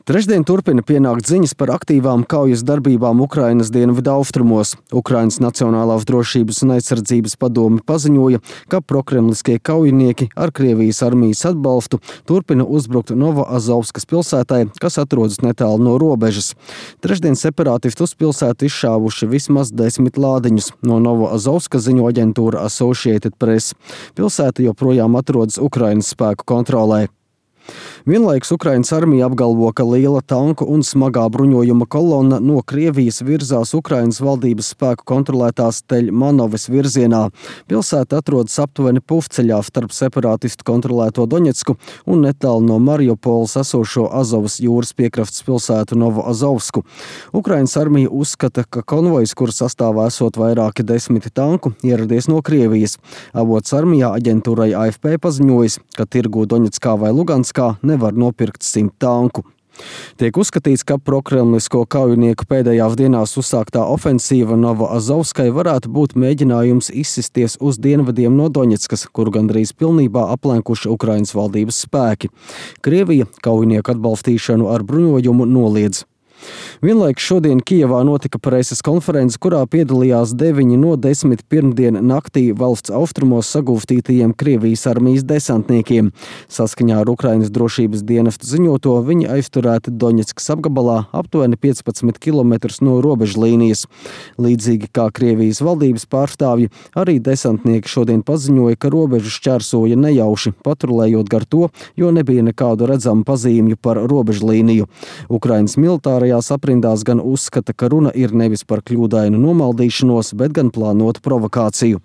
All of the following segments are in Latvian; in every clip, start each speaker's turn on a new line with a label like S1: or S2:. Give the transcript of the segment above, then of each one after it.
S1: Trešdien turpina pienākt ziņas par aktīvām kaujas darbībām Ukrainas dienvidu austrumos. Ukrainas Nacionālās drošības un aizsardzības padome paziņoja, ka prokremliskie kaujinieki ar Krievijas armijas atbalstu turpina uzbrukt Novoazovskas pilsētai, kas atrodas netālu no robežas. Trešdien separātisti uz pilsētu izšāvuši vismaz 10 lādiņus. No Novoazovskas ziņo aģentūra Associated Press. Pilsēta joprojām atrodas Ukrainas spēku kontrolē. Vienlaikus Ukrainas armija apgalvo, ka liela tanku un smagā bruņojuma kolonna no Krievijas virzās Ukrainas valdības spēku kontrolētās Teļmanovas virzienā. Pilsēta atrodas aptuveni puvceļā starp separātistu kontrolēto Doņetsku un netālu no Mariupoles esošo Azovas jūras piekrastes pilsētu Novoazovsku. Ukrainas armija uzskata, ka konvojs, kura sastāvā esot vairāki 10 tanku, ieradies no Krievijas. Avots armijā aģentūrai AFP paziņojis, ka tirgū Doņetskā vai Luganskā nevar nopirkt 100 tanku. Tiek uzskatīts, ka prokremlisko kaujinieku pēdējās dienās uzsāktā ofensīva Novoazovskai varētu būt mēģinājums izsisties uz dienvidiem no Doņetskas, kuru gandrīz pilnībā aplenkuši Ukrainas valdības spēki. Krievija kaujinieku atbalstīšanu ar bruņojumu noliedz. Vienlaikus šodien Kijevā notika preses konference, kurā piedalījās 9 no 10 pirmdien naktī valsts austrumos sagūstītajiem Krievijas armijas desantniekiem. Saskaņā ar Ukrainas drošības dienestu ziņoto, viņi aizturēti Doņetskas apgabalā aptuveni 15 km no robežlīnijas. Līdzīgi kā Krievijas valdības pārstāvji, arī desantnieki šodien paziņoja, ka robežu šķērsoja nejauši, patrulējot gar to, jo nebija nekādu redzamu pazīmju par robežlīniju. Ukrainas militārajās aprindās gan uzskata, ka runa ir nevis par kļūdainu nomaldīšanos, bet gan plānotu provokāciju.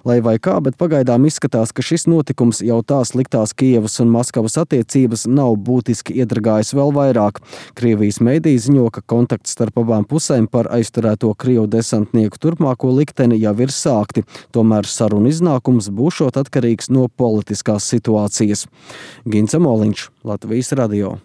S1: Lai vai kā, bet pagaidām izskatās, ka šis notikums jau tā sliktās Kijevas un Maskavas attiecības nav būtiski iedragājis vēl vairāk. Krievijas mediji ziņo, ka kontakts starp abām pusēm par aizturēto Krievu desantnieku turpmāko likteni jau ir sākti. Tomēr sarunu iznākums būšot atkarīgs no politiskās situācijas. Gints Amoliņš, Latvijas radio.